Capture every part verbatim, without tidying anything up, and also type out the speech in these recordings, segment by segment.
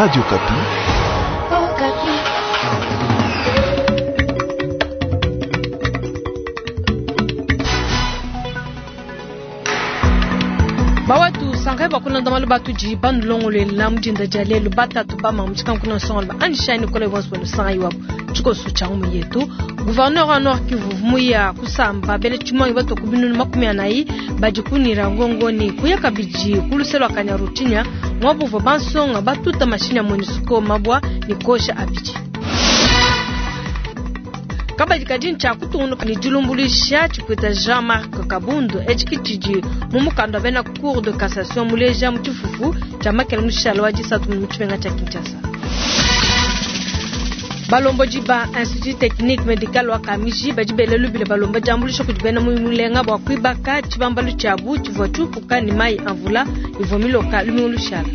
Radio Okapi. Bawatu sangai bakulonda malu batudi banulongolela mudinda dia lelu batatu bama mutshikankuna nsonga ba andishani kola bonso banu sangai wabu tshikoso tshia ngumu yetu. Gouverneur wa Nord Kivu muya kusamba bele tshimangi bato kubinunu makumi anayi badi kunira ngongoni kuya kabidi kuluselo Kanyaruchinya mwabuva bansonga batuta mashini ya MONUSCO mabwa ni kosha abidi. Kabadi kadi ntsha kutungunuka ne dilumbulusha tshipwita Jean-Marc Kabundu etshi tshidi mu mukanda wa bena Cour de cassation muleja mu tshifufu tshia makele mushala wa disatu mu tshimenga tshia Kinshasa. Balomboji ba Institut Technique Medical wa Kamiji badi bele lubile balomba diambuluisha kudi bena mulenga bua kuibaka tshibambalu tshiabu tshivua tshiupuka ne mayi a mvula ivua miloka lumingu lushala.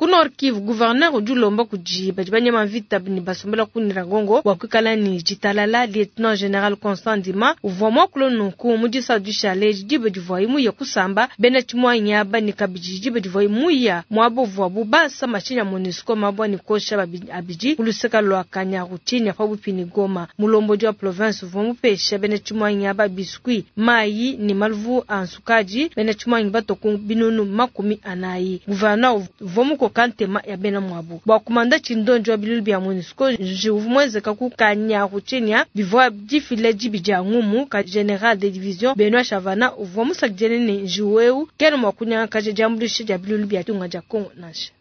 Ku Nord Kivu, gouverneur udi ulomba kudi badi banyema mvita ne basombela ku Nyiragongo bua kuikala ne ditalala. Lieutenant General Constant Ndima uvua muakule nunku mu disatu dishale diba divuaye muye kusamba bena tshimuanyi aba ne kabidi diba divuaye muya muaba uvuabu basa mashinyi ya MONUSCO mabwa ne kosha abidi ku luseka lua Kanyaruchinya pabuipi ne Goma. Mulombodi wa province uvua mupesha bena tshimuanyi aba biscuit, mayi ne maluvu a nsukadi. Bena tshimuanyi bato ku binunu makumi anayi. Gouverneur uvua mukoka ntema ya bena mwabu bua kumanda tshindonjo wa bilulu bia MONUSCO njiwu mwenzeka ku Kanyaruchinya bivua difila dibi dia ngumu ka general de division Benoit Chavana uvua musakidile ne njiwu eu kena mua kunyangakaja diambuluisha dia bilulu bia tunga dia Kongo nansha.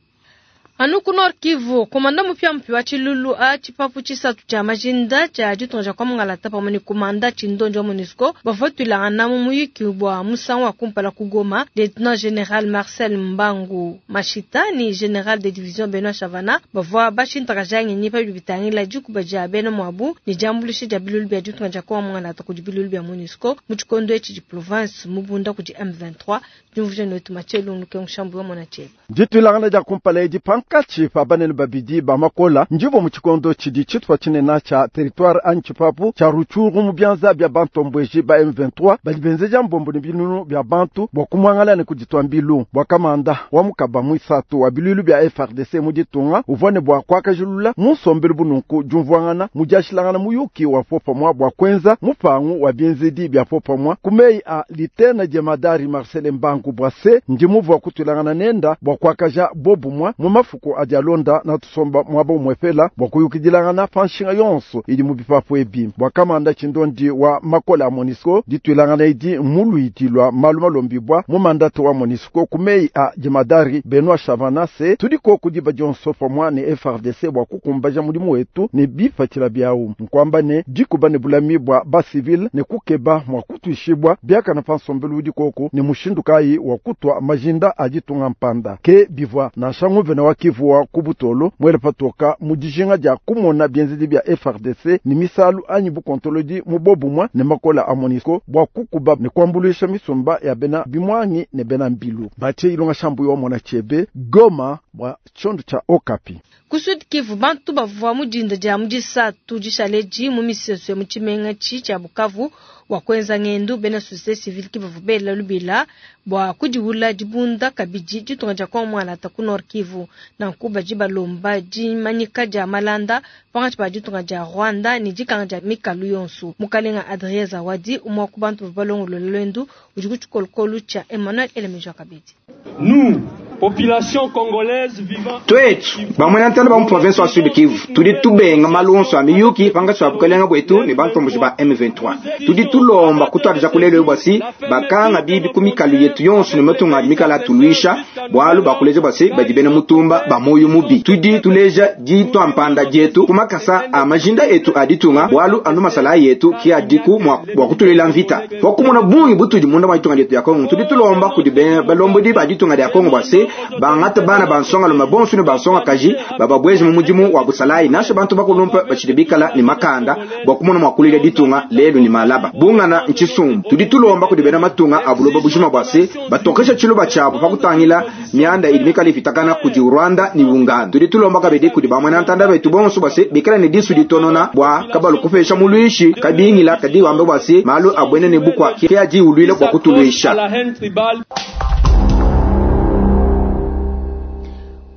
Anu ku Nord Kivu, komanda mupya mpya wa tshilulu a tshipapu tshisatu tshia majinda tshia ditunga dia kwa Mungalata pamue ne komanda tshindonjo wa MONUSCO bavua tuilangana mu muyuki bua musangu wa kumpala ku Goma. Lieutenant General Marcel Mbangu Mashita ni General de Division Benoit Chavana bavua bashintakaja ngenyi pa bidi bitangila dikuba dia bena muabu ne diambuluisha dia bilulu bia ditunga dia kwa Mungalata kudi bilulu bia MONUSCO mu tshikondo etshi di province mubunda kudi M vingt-trois. Diumvuija netu Mathieu Lungu Mushambu wa Mona Tshieba. Dituilangana dia kumpala edi pankatshi pa banene babidi ba makola ndivo mu tshikondo tshidi tshitupa tshinene tshia territoire anyi tshipapu tshia Rutshuru mu bianza bia bantomboji ba M vingt-trois badi benzeja mbombo ne binunu bia bantu bua kumuangala ne kuditua mbilu. Bua kamanda wa mukaba muisatu wa bilulu bia F R D C mu ditunga uvua ne bua kuakajilula mu nsombelu bununku diumvuangana mu diashilangana muyuki wa popamwa bua kuenza mupangu wa bienzedi bia popamwa ku meyi a litena jemadari Marcel Mbangu Bwase ndi muvua kutuilangana nenda bua kuakaja bobumwa mu mafuku adi alonda na tusomba mwaba umwepela bua kuyukidilangana pa nshinga yonso idi mu bipapu ebi. Bua kamanda tshindondi wa makola a MONUSCO dituilangana idi muluidi lua malu malombibwa mu mandatu wa MONUSCO ku meyi a jemadari Benoit Chavana se tudiko kudiba dionso pamwa ne F R D C bua kukumbaja mudimu wetu ne bipatshila biawu nkwamba ne dikuba ne bulami bua ba civil ne kukeba mwa kutuishibwa biakana pa nsombelu udi koko ne mushindu kayi wa kutwa majinda a ditunga mpanda ke bivua nansha nguvena wa Kivu wa kubutolo mwele patoka mu dijinga dia kumona bienzedi bia F R D C ni misalu anyi bukontolodi mu bobumwa ne makola a MONUSCO bua kukuba ne kuambuluisha misumba ya bena bimwangi ne bena mbilu. Batie ilonga shambu yo mona chebe Goma bua tshiondo tshia Okapi. Ku Sud Kivu bantu bavua mu dinda dia mu disatu dishale mu misesu ya mu tshimenga tshi tshia Bukavu wa kuenza ngendo bena société civile ki bavua bela lubila bua kudiwula dibunda kabidi ditunga dia kwa Mwalata ku Nord Kivu. Nanku badi balomba dimanyika dia malanda pankatshi pa ditunga dia Rwanda ne dikanga dia mikalu yonso. Mukalenga Adrien Zawadi umwe wa ku bantu bavua balongolola lwendu udi ku tshikolokolo tshia Emmanuel Elemejo kabidi. Nous, population congolaise vivant twetu bamwe ntana ba mu province wa Sud Kivu tudi tubenga malonso a miyuki pankatshi pa bukalenga bwetu ne bantomboji ba M vingt-trois tudi tulomba kutwadija kulelo bwasi bakanga bibi ku mikalu yetu yonso ne matunga mikala tuluisha bwalu bakuleja bwasi badi bena mutumba ba moyo mubi tudi tuleja ditwa mpanda dietu kumakasa a majinda etu aditunga bwalu anu masala yetu ki adiku mwa bwa kutulela mvita wakumona bungi butudi munda mwa ditunga dietu ya Kongo tudi tulomba kudi bena balombodi ba ditunga dia Kongo bwasi Bangata bana bansonga lume bonso ne bansonga kaji bababwezi mu mudimu wa busalayi nasha bantu bakulumpa bachidi bikala ni makanda bwa kumona mwakulile ditunga lelu ni malaba bungana nchisumbu tudi tulomba kudi bena matunga abuloba bujima bwase batokesha chiluba chabo pakutangila mianda idi mikala ipitakana kudi Rwanda ni Uganda tudi tulomba kabidi kudi bamwe ntanda betu bonso bwase bikala ne disu ditonona bwa kabalu kupesha mulwishi kabingila kadi wambe bwase malu abwene ne bukwa kiaji ulwile kwa kutulwisha.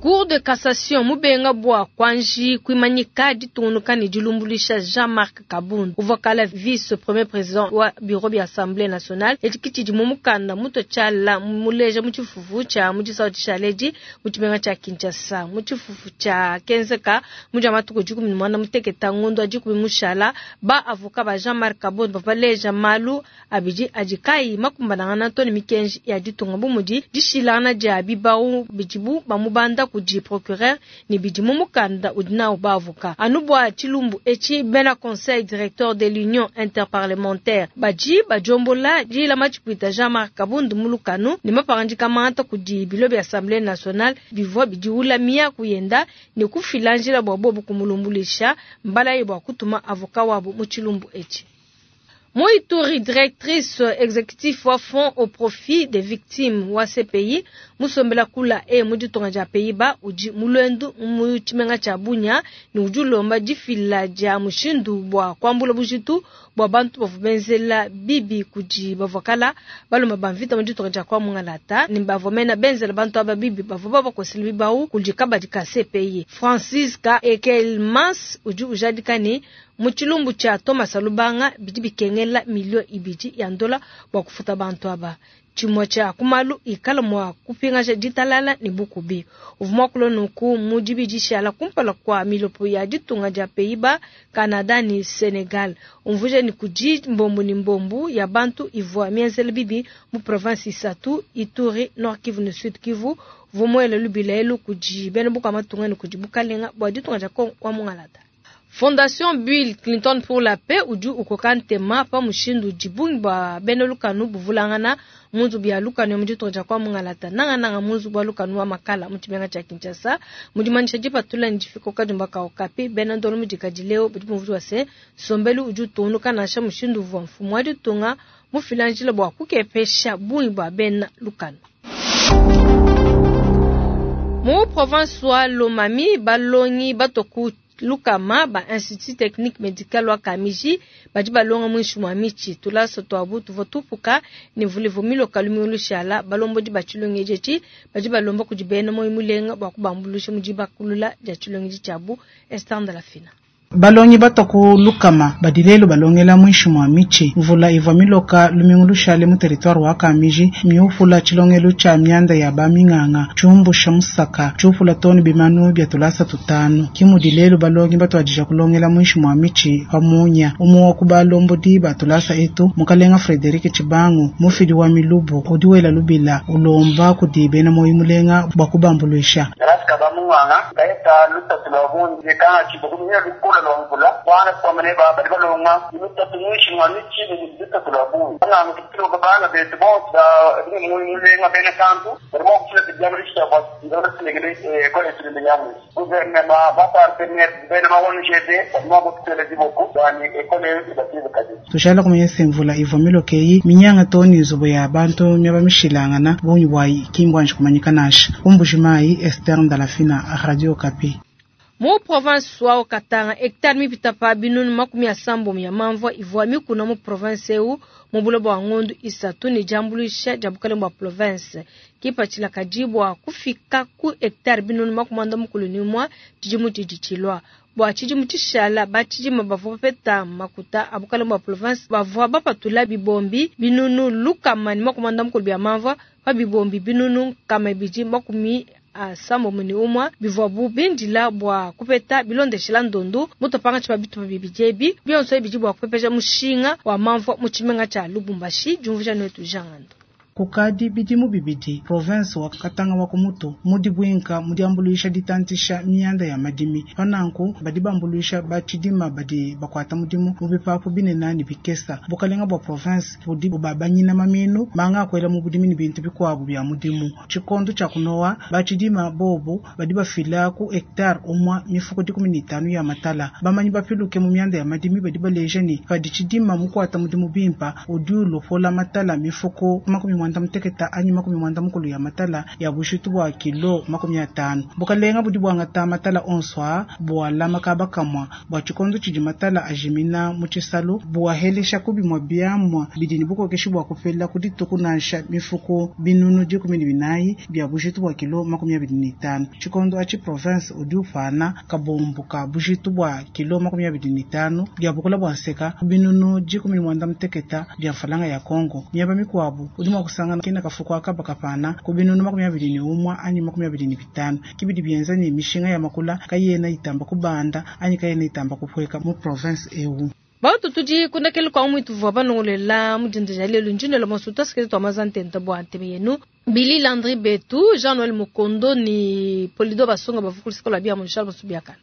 Cour de cassation mubenga bwa kwanji kuimanyika ditungunuka ne dilumbulisha Jean-Marc Kabund uvua kala vice premier président wa bureau bia Assemblée nationale etikiti mu mukanda muto tshala muleja mu tshifufu tshia mu tshisawu tshishaledi mu tshimenga tshia Kinshasa mu tshifufu tshia kenzeka mu dia matuku dikumi ne muanda muteketa ngondo wa dikumi mushala ba avocat ba Jean-Marc Kabund bavaleja malu abidi adi kayi makumbanangana to ne mikenji ya ditunga bu mudi dishilangana dia bibawu bidibu bamubanda kudi procureur ni bidi mu mukanda udi nawu baavoka anu bua tshilumbu etshi bena conseil directeur de l'union interparlementaire badi badiombola dilama tshipuita Jean-Marc Kabund mu lukanu ne mapangadika mangata kudi bilo bia Assemblée nationale bivua bidiwula miaku yenda ne kufila njila bua bobu kumulumbulisha mbala bua kutuma avoka wabu mu tshilumbu etshi. Moituri, directrice exécutive wa fonds au profit des victimes wa C P I, musombela kula e muditonga ja Pays-Bas udi mulwendu mu tshimenga tshia Bunia ne udi ulomba difila dia mushindu bua kuambula bujitu bua bantu bavua benzela bibi kudi bavua balomba ba mvita muditonga dia kwa Mungalata ne bavua mena benzela bantu aba bibi bavua babakosela bibawu kudi kabadi ka C P I. Francisca Ekelmans udi ujadika ne mu tshilumbu tshia Thomas Lubanga bidi bikengela milio ibidi ya ndola bua kufuta bantu aba. Tshimue tshia kumalu ikala mua kupingaja ditalala ne bukubi. Uvua muakula nunku mu dibidishala kumpala kua milopo ya ditunga dia Pays-Bas, Canada ne Senegal. Umvuija ni kudi mbombu ne mbombu ya bantu ivua mienzela bibi mu province isatu Ituri, Nord Kivu ne Sud Kivu. Vumuele lubila kudi bena buka matunga ne kudi bukalenga bua ditunga dia Kongo wa Mungalata. Fondation Bill Clinton pour la paix udi ukoka ntema pa mushindu dibungi bua bena lukanu buvulangana munzu bia lukanu mu ditunga dia kwa Mungalata nangananga munzu bua lukanu wa makala mu tshimenga tshia Kinshasa mu dimanyisha dipatula ne difikoka dimbaka okapi bena ndolo mu dikadi leo budi bumvua se sombelu udi utungunuka nansha mushindu uvua mfumu wa ditunga mufila njila bua kukepesha bungi bua bena lukanu. Mu province wa Lomami balongi batoku lukama ba institut technique médical wa Kamiji badi balonga mwinshi mwa michi tulaso twabu tuvua tupuka ne vulevu miloka lumiulu shala balombodi ba tshilongeji etshi badi balomba kudi bena moyo mulenga bua kubambulusha mu dibakulula dia tshilongeji tshiabu Esther Ndalafina. Balongi batoku lukama badilelo balongela mwinshi mwa michi mvula ivwa miloka lumingu lushale mu territoire wa Kamiji miufula tshilongelo tsha mianda ya baminganga tshumbusha musaka tshiufula toni bimanu bya tulasa tutanu kimudilelo balongi batwadija kulongela mwinshi mwa michi pamunya umuwa ku balombodi batulasa etu mukalenga Frederic Chibangu mufidi wa milubu udiwela lubila ulomba kudi bena moyo mulenga bwa kubambuluisha tushala kumanyesa mvula ivwa milokeyi minyanga toni nzubu ya bantu myaba mishilangana bunyi bwayi kimbwanje kumanyika nasha umbujimayi Esther Ndalafina, Radio Okapi. Mu province wa Katanga hectare mipita pa binunu makumi asambo ya mamvua ivua mikuna mu province eu mu buloba bwa ngondu isatu ne diambuluisha dia bukalenge bua province kipatshila kadi bua kufika ku hectare binunu makumi anda mukulu ne umue tshidimu tshidi tshilua. Bua tshidimu tshishala batshidima bavua bapeta makuta a bukalenge bua province bavua bapatula bibombi binunu lukama ne makumi anda mukulu bia mamvua pa bibombi binunu nkama ibidi makumi asambo muni umwa bivua bu bindila bua kupeta bilondeshela ndondu mutopanga tshiba bitupa bibidi ebi bionso ebidi bua kupepeja mushinga wa mamvua mu tshimenga tshia Lubumbashi diumvuija netu Jean Ngando. Kukadi bidimu bibidi province wa Katanga wa kumutu mudi bwinka mu diambuluisha ditantisha mianda ya madimi. Pananku badi bambuluisha ba tshidima badi bakwata mudimu mu bipapu binene ne bikesa. Bukalenga bwa province budi bubabanyina maminu manga akwela mu budimi ne bintu bikwabu bya mudimu. Tshikondo tshia kunowa ba tshidima bobu badi bafila ku hectare umwa mifuko dikumi ne itanu ya matala. Bamanyi bapiluke mu mianda ya madimi badi baleja ne padi tshidima mukwata mudimu bimpa udi ulopola matala mifuko makumi mwanda muteketa anyi makumi mwanda mukulu ya matala ya bushitu bwa kilo makumi atanu. Bukalenga budi bwangata matala onso aa bwalama kaba kamwa bwa tshikondo tshidi matala ajimina mu tshisalu bwahelesha ku bimwe biamwa bidi ne bukokeshi bwa kupela ku dituku nansha mifuko binunu dikumi ne binayi bya bushitu bwa kilo makumi abidi ne itanu. Tshikondo atshi province udi upana kabombo ka bushitu bwa kilo makumi abidi ne itanu bya bukula bwa nseka binunu dikumi ne mwanda muteketa bya mfalanga ya Kongo. Miaba mikwabu udi mwa kusangana kina kafuko akaba kapana ku binunu makumi abidi ne umwa anyi makumi abidi ne bitanu. Kibidi byenza ne mishinga ya makula kayena itamba kubanda anyi kayena itamba kupweka mu province ewu. Bautu tudi kundakele kwa mwitu vwa banongolela mudinda ja lelo njinelo mosu tasikete twa mazantenta bwa nteme yenu. Billy Landry Betu, Jean-Noël Mukondo ni Polido Basonga bavukulisikola bia Charles Musubiakana.